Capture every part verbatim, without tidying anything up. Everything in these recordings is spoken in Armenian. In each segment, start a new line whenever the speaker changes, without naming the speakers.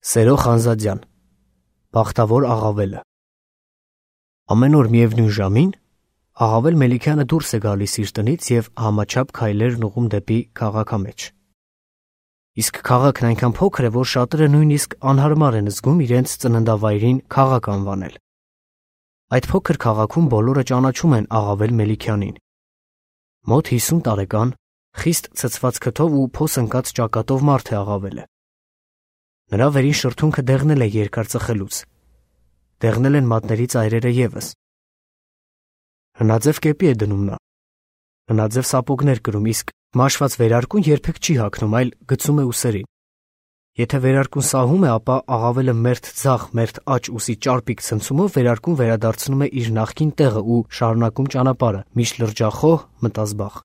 Սերո Խանզադյան, Բախտավոր աղավելը։ Ամեն օր միևնույն ժամին Աղավել Մելիքյանը դուրս է գալիս իր տնից և համաչափ քայլերն ուղղում դեպի քաղաքամեջ։ Իսկ քաղաքն այնքան փոքր է, որ շատերը նույնիսկ անհարմար են զգում իրենց ծննդավայրին քաղաք անվանել։ Այդ փոքր քաղաքում բոլորը ճանաչում են Աղավել Մելիքյանին։ Մոտ հիսուն տարեկան, խիստ ցցված քթով ու փոս ընկած ճակատով մարդ է Աղավելը։ Նրա վերին շրթունքը դեղնել է երկար ծխելուց։ Դեղնել են մատների ծայրերը ևս։ Հնաձև կեպի է դնում նա։ Հնաձև սապոգներ կրում, իսկ մաշված վերարկուն երբեք չի հագնում, այլ գցում է ուսերին։ Եթե վերարկուն սահում է, ապա Աղավելը մերթ ձախ, մերթ աջ ուսի ճարպիկ ցնցումով վերարկուն վերադարձնում է իր նախկին տեղը ու շարունակում ճանապարհը, միշտ լրջախոհ, մտազբաղ։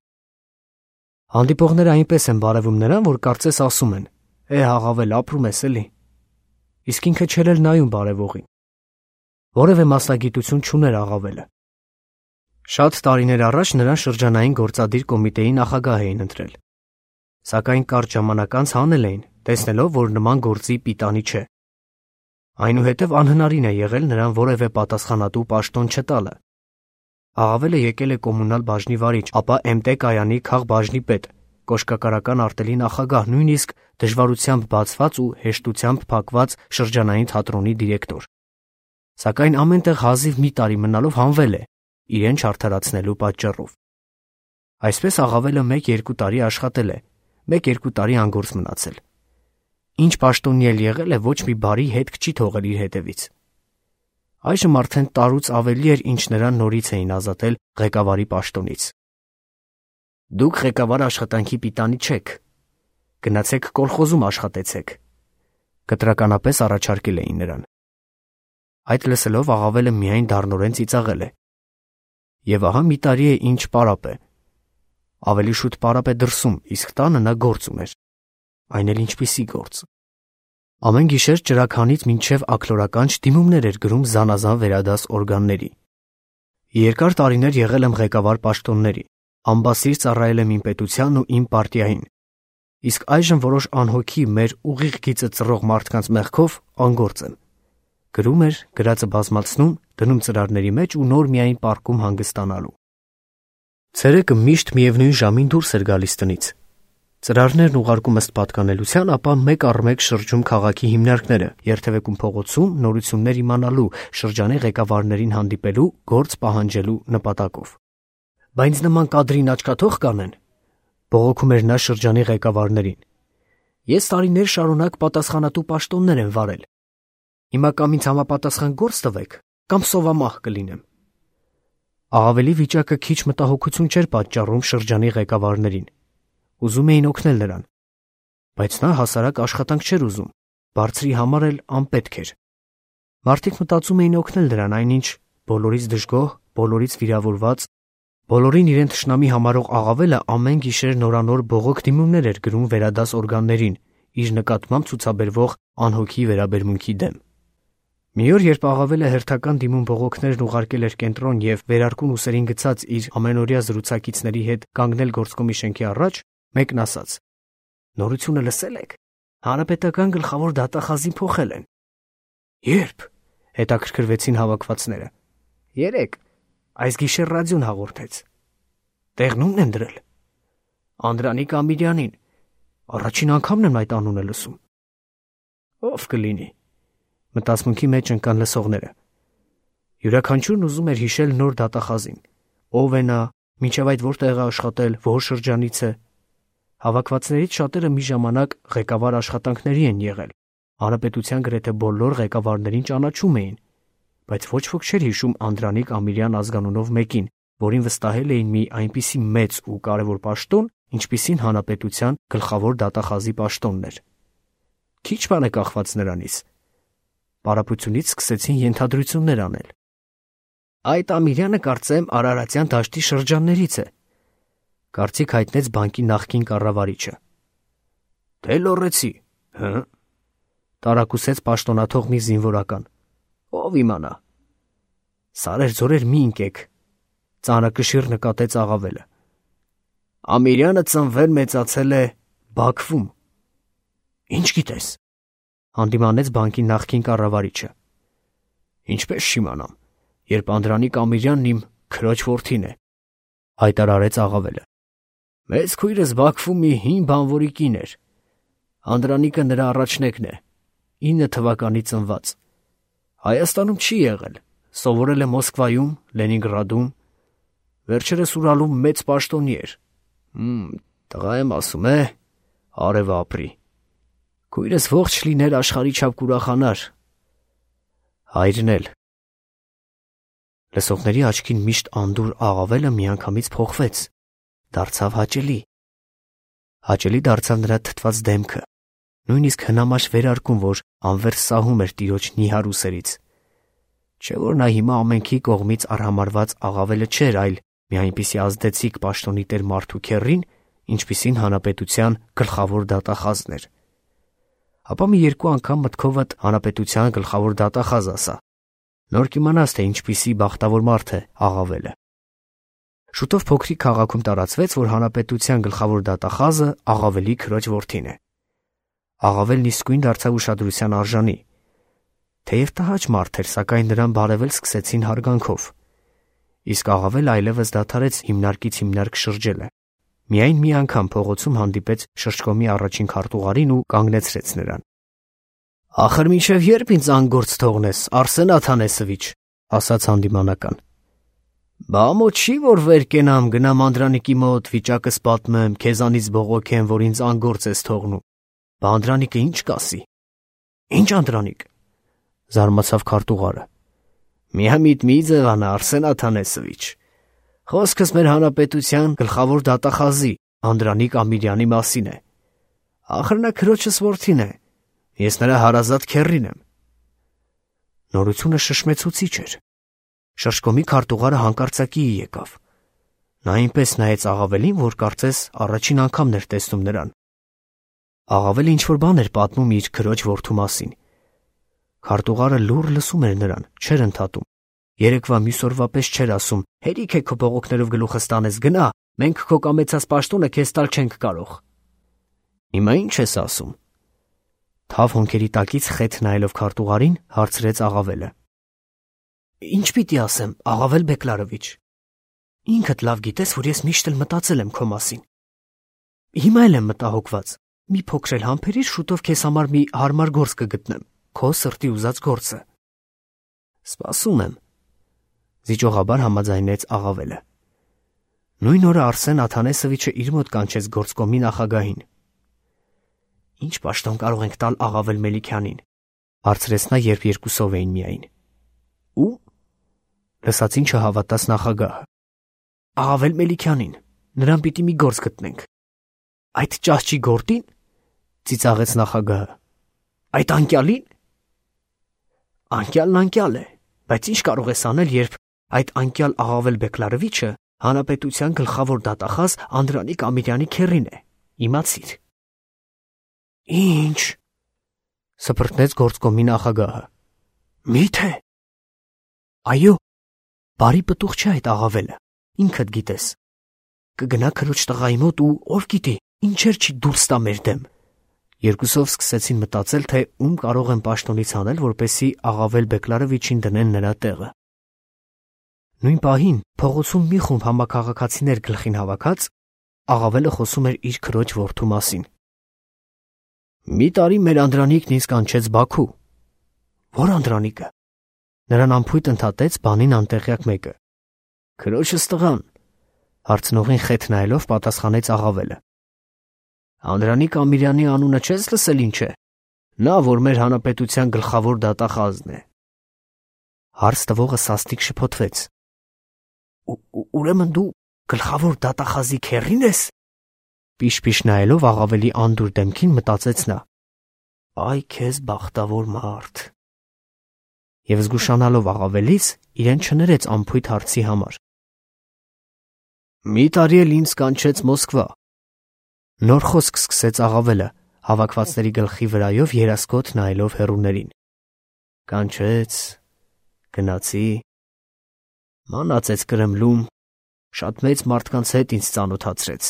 Հանդիպողները այնպես են բարևում նրան, որ կարծես ասում են. «Է, Աղավել, ապրում ես էլի»։ Իսկ ինքը չէր էլ նայում բարևողին։ Որևէ մասնագիտություն չուներ Աղավելը։ Շատ տարիներ առաջ նրան շրջանային գործադիր կոմիտեի նախագահ էին ընտրել։ Սակայն կարճ ժամանակ անց հանել էին, տեսնելով, որ նման գործի պիտանի չէ։ Այնուհետև անհնարին է եղել նրան որևէ պատասխանատու պաշտոն չտալը։ Աղավելը եկել է կոմունալ բաժնի վարիչ, ապա էմ տե կայանի քաղբաժնի պետ, կոշկակարական արտելի նախագահ, նույնիսկ դժվարությամբ բացված ու հեշտությամբ փակված շրջանային թատրոնի դիրեկտոր։ Սակայն ամենտեղ հազիվ մի տարի մնալով հանվել է, իրեն չարդարացնելու պատճառով։ Այսպես Աղավելը մեկ-երկու տարի աշխատել է, մեկ-երկու տարի անգործ մնացել։ Ինչ պաշտոնի էլ եղել է, ոչ մի բարի հետք չի թողել իր հետևից։ Այժմ արդեն տարուց ավելի էր, ինչ նրան նորից էին ազատել ղեկավարի պաշտոնից։ Դուք ղեկավար աշխատանքի պիտանի չեք, գնացեք կոլխոզում աշխատեցեք, կտրականապես առաջարկել էին նրան։ Այդ լսելով Աղավելը միայն դառնորեն ծիծաղել է։ Եվ ահա մի տարի է ինչ պարապ է։ Ավելի շուտ պարապ է դրսում, իսկ տանը նա գործ ուներ։ Այն էլ ինչպիսի գործ։ Ամեն գիշեր ճրագանից մինչև աքլորականջ դիմումներ էր գրում զանազան վերադաս օրգանների։ Երկար տարիներ եղել եմ ղեկավար պաշտոնների, ամբասիր ծառայել եմ իմ պետությանն ու իմ պարտիային, իսկ այժմ որոշ անհոգի մեր ուղիղ գիծը ծռող մարդկանց մեղքով անգործ եմ։ Գրում էր, գրածը բազմացնում, դնում ծրարների մեջ ու նոր միայն պառկում հանգստանալու։ Ցերեկը միշտ միևնույն ժամին դուրս էր գալիս տնից։ Ծրարներն ուղարկում ըստ պատկանելության, ապա մեկ առ մեկ շրջում քաղաքի հիմնարկները, երթևեկում փողոցում նորություններ իմանալու, շրջանի ղեկավարներին հանդիպելու, գործ պահանջելու նպատակով։ Բայց նման կադրին աչքաթող կանեն, բողոքում էր նա շրջանի ղեկավարներին։ Ես տարիներ շարունակ պատասխանատու պաշտոններ եմ վարել։ Հիմա կամ ինձ համապատասխան գործ տվեք, կամ սովամահ կլինեմ։ Աղավելի վիճակը քիչ մտահոգություն չէր պատճառում շրջանի ղեկավարներին։ Ուզում էին օգնել նրան, բայց նա հասարակ աշխատանք չէր ուզում, բարձրի համար էլ անպետք էր։ Մարդիկ մտածում էին օգնել նրան, այնինչ բոլորից դժգոհ, բոլորից վիրավորված, բոլորին իրեն թշնամի համարող Աղավելը ամեն գիշեր նորանոր բողոք դիմումներ էր գրում վերադաս օրգաններին, իր նկատմամբ ցուցաբերվող անհոգի վերաբերմունքի դեմ։ Մի օր, երբ Աղավելը հերթական դիմում բողոքներն ուղարկել էր կենտրոն և վերարկուն ուսերին գցած իր ամենօրյա զրուցակիցների հետ կանգնել գործկոմի շենքի առաջ, մեկն ասաց. «Նորությունը լսել եք, հանրապետական գլխավոր դատախազին փոխել են»։ «Ե՞րբ»։ հետաքրքրվեցին հավաքվածները։ «Երեկ, այս գիշեր ռադիոն հաղորդեց»։ «Տեղն ումն են դրել»։ «Անդրանիկ Ամիրյանին, առաջին անգամն եմ այդ անունը լսում»։ «Ով կլինի», մտածմունքի մեջ ընկան լսողները։ Յուրաքանչյուրն ուզում էր հիշել նոր դատախազին։ Ով է նա, մինչև այդ որտեղ է աշխատել, որ շրջանից է։ Հավաքվածներից շատերը մի ժամանակ ղեկավար աշխատանքների են եղել, հանրապետության գրեթե բոլոր ղեկավարներին ճանաչում էին, բայց ոչ ոք չէր հիշում Անդրանիկ Ամիրյան ազգանունով մեկին, որին վստահել էին մի այնպիսի մեծ ու կարևոր պաշտոն, ինչպիսին հանրապետության գլխավոր դատախազի պաշտոնն էր։ Քիչ բան է կախված նրանից։ Պարապությունից սկսեցին ենթադրություններ անել։ «Այդ Ամիրյանը, կարծեմ, Արարատյան դաշտի շրջաններից է», կարծիք հայտնեց բանկի նախկին կառավարիչը։ «Դե լոռեցի, հը՞», տարակուսեց պաշտոնաթող մի զինվորական։ «Ով իմանա»։ «Սարեր-ձորեր մի ընկեք», ծանրակշիռ նկատեց Աղավելը։ «Ամիրյանը ծնվել մեծացել է Բաքվում»։ «Ինչ գիտես»։ Հանդիմանեց բանկի նախկին կառավարիչը։ Ինչպես չիմանամ, երբ Անդրանիկ Ամիրյանն իմ քրոջ որդին է, հայտարարեց աղավելը։ Մեծ քույրս Բաքվում մի հին բանվորի կին էր։ Անդրանիկը նրա առաջնեկն է, ինը թվականի ծնված։ Հայաստանում չի եղել, սովորել է Մոսկվայում, Լենինգրադում, վերջերս Ուրալում մեծ պաշտոնի էր։ Հմ, տղա եմ ասում է, արևը ապրի։ Քույրս ողջ լիներ աշխարհի չափ կուրախանար։ Հայրն էլ։ Լսողների աչքին միշտ անդուր աղավելը միանգամից փոխվեց, դարձավ հաճելի։ Հաճելի դարձավ նրա թթված դեմքը, նույնիսկ հնամաշ վերարկուն, որ անվերջ սահում էր տիրոջ նիհար ուսերից։ Չէ՞ որ նա հիմա ամենքի կողմից արհամարված աղավելը չէր, այլ մի այնպիսի ազդեցիկ պաշտոնի տեր մարդու քեռին, ինչպիսին հանրապետության գլխավոր դատախազն էր։ Ապա մի երկու անգամ մտքովդ հանրապետության գլխավոր դատախազ ասա, նոր կիմանաս, թե ինչպիսի բախտավոր մարդ է աղավելը։ Շուտով փոքրիկ քաղաքում տարածվեց, որ հանրապետության գլխավոր դատախազը աղավելի քրոջ որդին է։ Աղավելն իսկույն դարձավ ուշադրության արժանի։ Թեև տհաճ մարդ էր, սակայն նրան բարևել սկսեցին հարգանքով։ Իսկ աղավելը այլևս դադարեց հիմնարկից հիմնարկ շրջելը։ Միայն մի անգամ փողոցում հանդիպեց շրջկոմի առաջին քարտուղարին ու կանգնեցրեց նրան։ Ախր մինչև երբ ինձ անգործ թողնես, Արսեն Աթանեսովիչ, ասաց հանդիմանական։ Բա մոտ չի, որ վեր կենամ, գնամ Անդրանիկի մոտ, վիճակս պատմեմ, քեզանից բողոքեմ, որ ինձ անգործ ես թողնում։ Բա Անդրանիկը ինչ կասի։ Ինչ Անդրանիկ, զարմացավ քարտուղարը։ Միամիտ մի ձևանա, Արսեն Աթանեսովիչ։ Խոսքս մեր հանրապետության գլխավոր դատախազի Անդրանիկ Ամիրյանի մասին է։ Ախր նա քրոջս որդին է։ Ես նրա հարազատ քեռին եմ։ Նորությունը շշմեցուցիչ էր։ Շրջկոմի քարտուղարը հանկարծակիի եկավ։ Նա այնպես նայեց աղավելին, որ կարծես առաջին անգամն էր տեսնում նրան։ Աղավելը ինչ-որ բան էր պատմում իր քրոջ որդու մասին։ Քարտուղարը լուռ լսում էր նրան, չէր ընդհատում։ Երեկվա մյուս օրվա պես չէր ասում. «Հերիք է քո բողոքներով գլուխս տանես, գնա, մենք քո կամեցած պաշտոնը քեզ տալ չենք կարող»։ Հիմա ի՞նչ ես ասում։ Թավ հոնքերի տակից խեթ նայելով քարտուղարին, հարցրեց աղավելը։ Ինչ պիտի ասեմ, Աղավել Բեկլարովիչ։ Ինքդ լավ գիտես, որ ես միշտ էլ մտածել եմ քո մասին։ Հիմա էլ եմ մտահոգված։ Մի փոքր էլ համբերիր, շուտով քեզ համար մի հարմար գործ կգտնեմ, քո սրտի ուզած գործը։ Սպասում եմ, զիջողաբար համաձայնեց աղավելը։ Նույն օրը Արսեն Աթանեսովիչը իր մոտ կանչեց գործկոմի նախագահին։ Ինչ պաշտոն կարող ենք տալ Աղավել Մելիքյանին, հարցրեց նա, երբ երկուսով էին միայն։ Ու լսածին չհավատաց նախագահը։ Աղավել Մելիքյանին, նրան պիտի մի գործ գտնենք։ Այդ ճահճի գործին, ծիծաղեց նախագահը։ Այդ անկյալին։ Անկյալն անկյալ է, բայց ինչ կարող ես անել, երբ այդ անկյալ Աղավել Բեկլարովիչը հանրապետության գլխավոր դատախազ Անդրանիկ Ամիրյանի քեռին է, իմացիր։ Ինչ, սփռտնեց գործկոմի նախագահը։ Մի՞թե։ Այո, բարի պտուղ չէ այդ աղավելը, ինքդ գիտես։ Կգնա քրոջ տղայի մոտ ու ով գիտի, ինչեր չի դուրս տա մեր դեմ։ Երկուսով սկսեցին մտածել, թե ում կարող են պաշտոնից անել, որպեսզի Աղավել Բեկլարովիչին դնեն նրա տեղը։ Նույն պահին փողոցում մի խումբ համակարգացիներ գլխին հավաքած, աղավելը խոսում էր իր քրոջ որդու մասին։ Մի տարի մեր Անդրանիկն ինձ կանչեց Բաքու։ Որ Անդրանիկը։ Նրան անփույթ ընդհատեց բանին անտեղյակ մեկը։ Քրոջս տղան, հարցնողին խեթ նայելով պատասխանեց աղավելը։ Անդրանիկ Ամիրյանի անունը չես լսել ինչ է։ Նա, որ մեր հանրապետության գլխավոր դատախազն է։ Հարց տվողը սաստիկ շփոթվեց։ Ուրեմն դու գլխավոր դատախազի քեռին ես։ Պիշ-պիշ նայելով աղավելի անդուր դեմքին մտածեց նա. Այ քեզ բախտավոր մարդ։ Եվ զգուշանալով աղավելից, իրեն չներեց անփույթ հարցի համար։ Մի տարի էլ ինձ կանչեց Մոսկվա։ Նոր խոսք սկսեց աղավելը, հավաքվածների գլխի վրայով երասկոտ նայելով հեռուներին։ Կանչեց, գնացի, մանածեց Կրեմլում, շատ մեծ մարդկանց հետ ինձ ծանոթացրեց։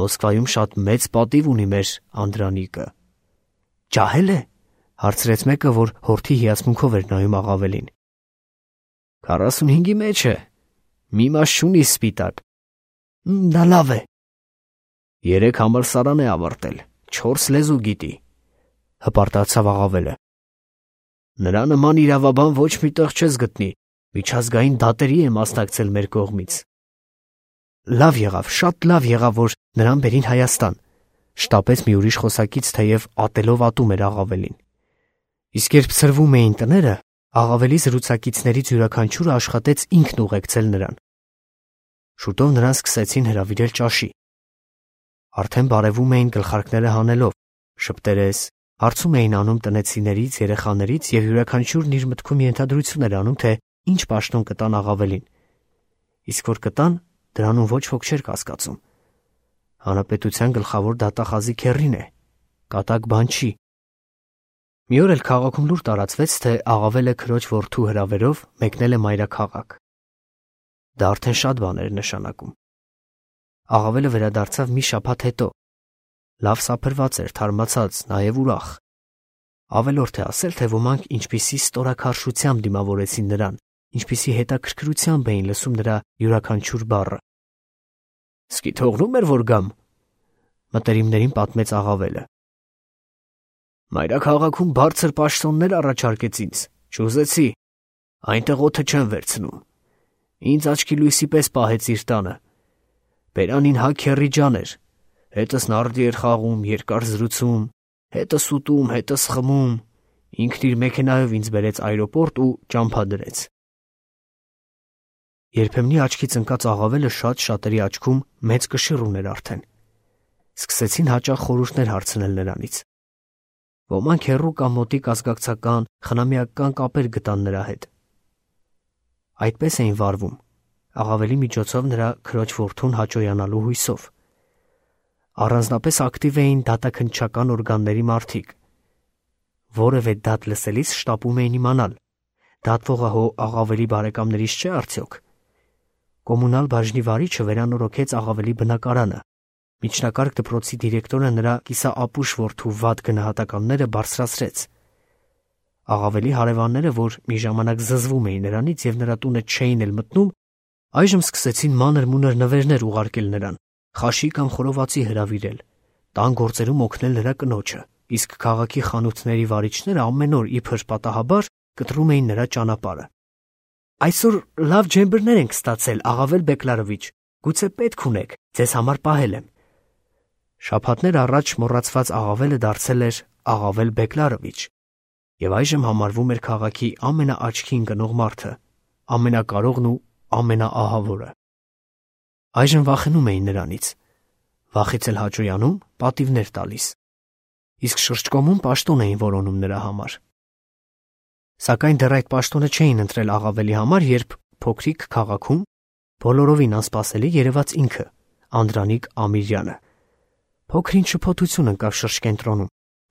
Մոսկվայում շատ մեծ պատիվ ունի մեր Անդրանիկը։ Ջահել է, Հարցրեց մեկը, որ հորթի հիացմունքով էր նայում Աղավելին։ Քառասունհինգի մեջ է։ Մի մաս չունի սպիտակ։ Դա լավ է։ Երեք համալսարան է ավարտել, չորս լեզու գիտի, հպարտացավ Աղավելը։ Նրա նման իրավաբան ոչ մի տեղ չես գտնի, միջազգային դատերի է մասնակցել մեր կողմից։ Լավ եղավ, շատ լավ եղավ, որ նրան բերին Հայաստան, շտապեց մի ուրիշ խոսակից, թեև ատելով ատում էր Աղավելին։ Իսկ երբ ցրվում էին տները, Աղավելի զրուցակիցներից յուրաքանչյուրը աշխատեց ինքն ուղեկցել նրան։ Շուտով նրան սկսեցին հրավիրել ճաշի։ Արդեն բարևում էին գլխարկները հանելով, շփտերես, հարցում էին անում տնեցիներից, երեխաներից և յուրաքանչյուրն իր մտքում ենթադրություն էր անում, թե ինչ պաշտոն կտան Աղավելին։ Իսկ որ կտան, դրանում ոչ ոք չէր կասկածում։ Հանրապետության գլխավոր դատախազի քեռին է, կատակ բան չի։ Մի օր էլ քաղաքում լուր տարածվեց, թե Աղավելը քրոջ որդու հրավերով մեկնել է մայրաքաղաք։ Դա արդեն շատ բան էր նշանակում։ Աղավելը վերադարձավ մի շաբաթ հետո։ Լավ սափրված էր, թարմացած, նաև ուրախ։ Ավելորդ է ասել, թե ոմանք ինչպիսի ստորաքարշությամբ դիմավորեցին նրան, ինչպիսի հետաքրքրությամբ էին լսում նրա յուրաքանչյուր բառը։ Սկի թողնում էր, որ գամ, մտերիմներին պատմեց Աղավելը։ Մայրաքաղաքում բարձր պաշտոններ առաջարկեց ինձ, չուզեցի, այնտեղ օդը չեն վերցնում։ Ինձ աչքի լույսի պես պահեց իր տանը։ Բերանին հա քեռի ջան էր, հետս նարդի էր խաղում, երկար զրուցում, հետս ուտում, հետս խմում, ինքն իր մեքենայով ինձ բերեց այրոպորտ ու ճամփա դրեց։ Երբեմնի աչքից ընկած Աղավելը շատ շատերի աչքում մեծ կշիռ ուներ արդեն։ Սկսեցին հաճախ խորհուրդներ հարցնել նրանից։ Ոմանք հեռու կամ մոտիկ ազգակցական, խնամիական կապեր գտան նրա հետ։ Այդպես էին վարվում, Աղավելի միջոցով նրա քրոջ որդուն հաճոյանալու հույսով։ Առանձնապես ակտիվ էին դատաքննչական օրգանների մարդիկ։ Որևէ դատ լսելիս շտապում էին իմանալ, դատվողը հո Աղավելի բարեկամներից չէ արդյոք։ Կոմունալ բաժնի վարիչը վերանորոգեց Աղավելի բնակարանը։ Միջնակարգ դպրոցի դիրեկտորը նրա կիսաապուշ որդու վատ գնահատականները բարձրացրեց։ Աղավելի հարևանները, որ մի ժամանակ զզվում էին նրանից և նրա տունը չէին էլ մտնում, այժմ սկսեցին մանր-մունր նվերներ ուղարկել նրան, խաշի կամ խորովածի հրավիրել, տան գործերում օգնել նրա կնոջը, իսկ քաղաքի խանութների վարիչները ամեն օր իբր պատահաբար կտրում էին նրա ճանապարհը։ Այսօր լավ ջեմբրներ ենք ստացել, Աղավել Բեկլարովիչ, գուցե պետք ունեք, ձեզ համար պահել եմ։ Շաբաթներ առաջ մոռացված Աղավելը դարձել էր Աղավել Բեկլարովիչ և այժմ համարվում էր քաղաքի ամենաաչքի ընկնող մարդը, ամենակարողն ու ամենաահավորը։ Այժմ վախենում էին նրանից, վախից էլ հաճոյանում, պատիվներ տալիս, իսկ շրջկոմում պաշտոն էին որոնում նրա համար։ Սակայն դեռ այդ պաշտոնը չէին ընտրել Աղավելի համար, երբ փոքրիկ քաղաքում բոլորովին անսպասելի երևաց ինքը, Անդրանիկ Ամիրյանը։ Փոքր-ինչ շփոթություն ընկավ շրջկենտրոնում,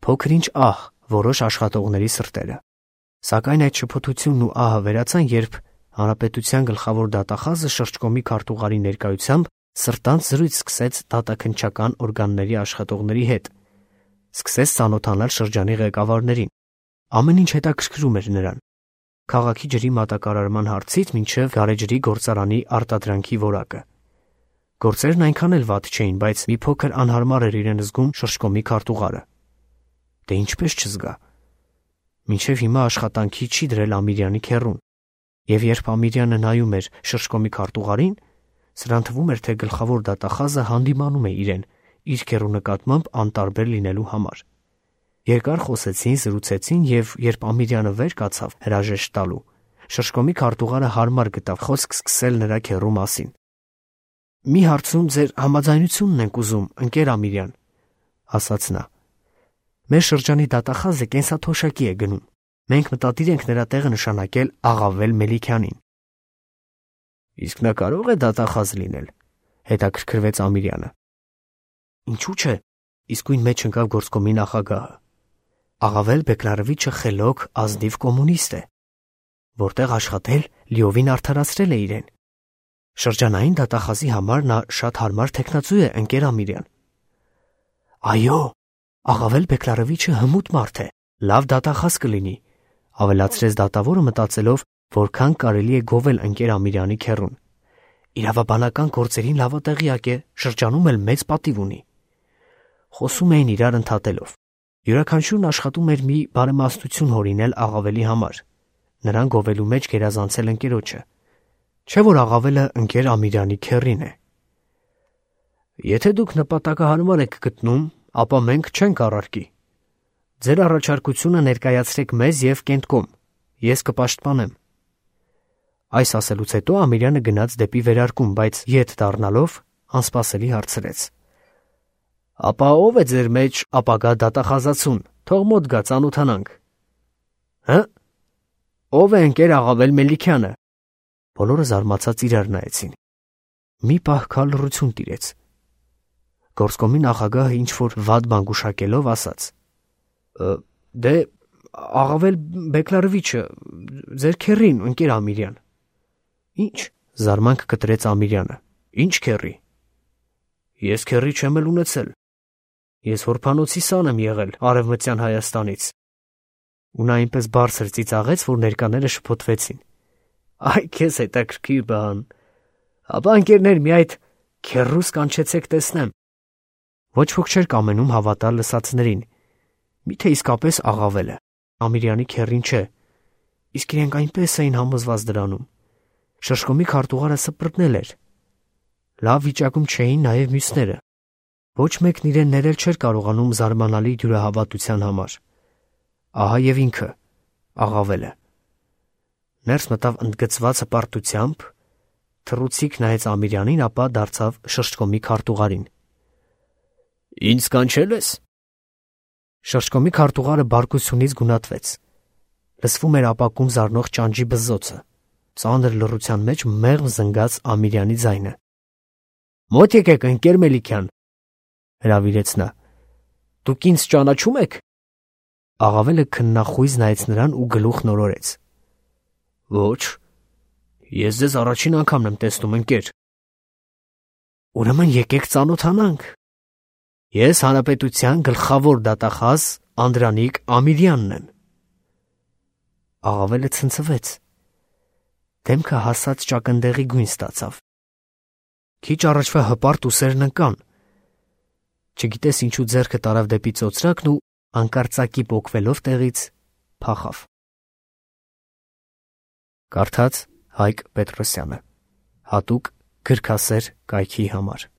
փոքր-ինչ ահ որոշ աշխատողների սրտերը։ Սակայն այդ շփոթությունն ու ահը վերացան, երբ հանրապետության գլխավոր դատախազը շրջկոմի քարտուղարի ներկայությամբ սրտանց զրույց սկսեց դատաքննչական օրգանների աշխատողների հետ, սկսեց ծանոթանալ շրջանի ղեկավարներին։ Ամեն ինչ հետաքրքրում էր նրան, քաղաքի ջրի մատակարարման հարցից մինչև գարեջրի գործարանի արտադրանքի որակը։ Գործերն այնքան էլ վատ չէին, բայց մի փոքր անհարմար էր իրեն զգում շրջկոմի քարտուղարը։ Դե ինչպես չզգա։ Մինչև հիմա աշխատանքի չի դրել Ամիրյանի քեռուն, և երբ Ամիրյանը նայում էր շրջկոմի քարտուղարին, սրան թվում էր, թե գլխավոր դատախազը հանդիմանում է իրեն իր քեռու նկատմամբ անտարբեր լինելու համար։ Երկար խոսեցին, զրուցեցին, և երբ Ամիրյանը վեր կացավ հրաժեշտ տալու, շրջկոմի քարտուղարը հարմար գտավ խոսք սկսել նրա քեռու մասին։ Մի հարցում ձեր համաձայնությունն ենք ուզում, ընկեր Ամիրյան, ասաց նա։ Մեր շրջանի դատախազը կենսաթոշակի է գնում։ Մենք մտադիր ենք նրա տեղը նշանակել Աղավել Մելիքյանին։ Իսկ նա կարող է դատախազ լինել, հետաքրքրվեց Ամիրյանը։ Ինչու՞ չէ, իսկույն մեջ ընկավ գործկոմի նախագահը։ Աղավել Բեկլարովիչը խելոք ազնիվ կոմունիստ է, որտեղ աշխատել լիովին արդարացրել է իրեն։ Շրջանային դատախազի համար նա շատ հարմար թեկնածու է, ընկեր Ամիրյան։ Այո, Աղավել Բեկլարովիչը հմուտ մարդ է, Լավ դատախազ կլինի, ավելացրեց դատավորը մտածելով, որքան կարելի է գովել ընկեր Ամիրյանի քեռուն։ Իրավաբանական գործերին լավատեղյակ է, շրջանում էլ մեծ պատիվ ունի։ Խոսում էին իրար ընդհատելով։ Յուրաքանչյուրն աշխատում էր մի բարեմաստություն հորինել Աղավելի համար, նրան գովելու մեջ գերազանցել ընկերոջը, չէ՞ որ Աղավելը ընկեր Ամիրյանի քեռին է։ Եթե դուք նպատակահարմար եք գտնում, ապա մենք չենք առարկի։ Ձեր առաջարկությունը ներկայացրեք մեզ և Կենտկոմ, ես կպաշտպանեմ։ Այս ասելուց հետո Ամիրյանը գնաց դեպի վերարկուն, բայց ետ դառնալով անսպասելի հարցրեց. Ապա ո՞վ է ձեր մեջ ապագա դատախազացուն, թող մոտ գա ծանոթանանք։ Հը՞, ո՞վ է ընկեր Աղավել Մելիքյանը։ Բոլորը զարմացած իրար նայեցին։ Մի պահ քալ լռություն տիրեց։ Գործկոմի նախագահը ինչ-որ վատ բան գուշակելով ասաց. Դե Աղավել Բեկլարովիչը, ձեր քեռին, ընկեր Ամիրյան։ Ինչ, զարմանք կտրեց Ամիրյանը, ինչ քեռի։ Ես քեռի չեմ էլ ունեցել։ Ես հորփանոցի սան եմ եղել Արևմտյան Հայաստանից։ Ու նա այնպես բարձր ծիծաղեց, որ ներկաները շփոթվեցին։ Այ քեզ հետաքրքիր բան։ Ապա ընկերներ, մի այդ քեռուս կանչեցեք տեսնեմ։ Ոչ ոք չէր կամենում հավատալ լսածներին։ Միթե իսկապես Աղավելը Ամիրյանի քեռին չէ, իսկ իրենք այնպես էին համոզված դրանում։ Շշկոմի քարտուղարը սպրտնել էր։ Լավ վիճակում չէին նաև մյուսները։ Ոչ մեկն իրեն ներել չէր կարողանում զարմանալի դյուրահավատության համար։ Ահա և ինքը, Աղավելը։ Ներս մտավ ընդգծված հպարտությամբ, թռուցիկ նայեց Ամիրյանին, ապա դարձավ Շշկոմի քարտուղարին։ Ինձ կանչել ես։ Շշկոմի քարտուղարը բարկությունից գունատվեց։ Լսվում էր ապակում զառնող ճանճի բզզոցը, ծանր լռության մեջ մեղմ զնգաց Ամիրյանի ձայնը։ Մոտ եկեք, ընկեր Մելիքյան, հրավիրեց նա։ Դուք ինձ ճանաչում եք։ Աղավելը քննախույզ նայեց նրան ու գլուխ նորորեց։ Ոչ, ես ձեզ առաջին անգամն եմ տեսնում, ընկեր։ Ուրեմն եկեք ծանոթանանք։ Ես հանրապետության գլխավոր դատախազ Անդրանիկ Ամիրյանն եմ։ Աղավելը ցնցվեց։ Դեմքը հասած ճակնդեղի գույն ստացավ։ Քիչ առաջվա հպարտ ուսերն ընկան։ Չգիտես ինչու ձեռքը տարավ դեպի ծոծրակն ու անկարծակի պոկվելով տեղից փախավ։ Կարդաց Հայկ Պետրոսյանը, հատուկ գրքասեր կայքի համար։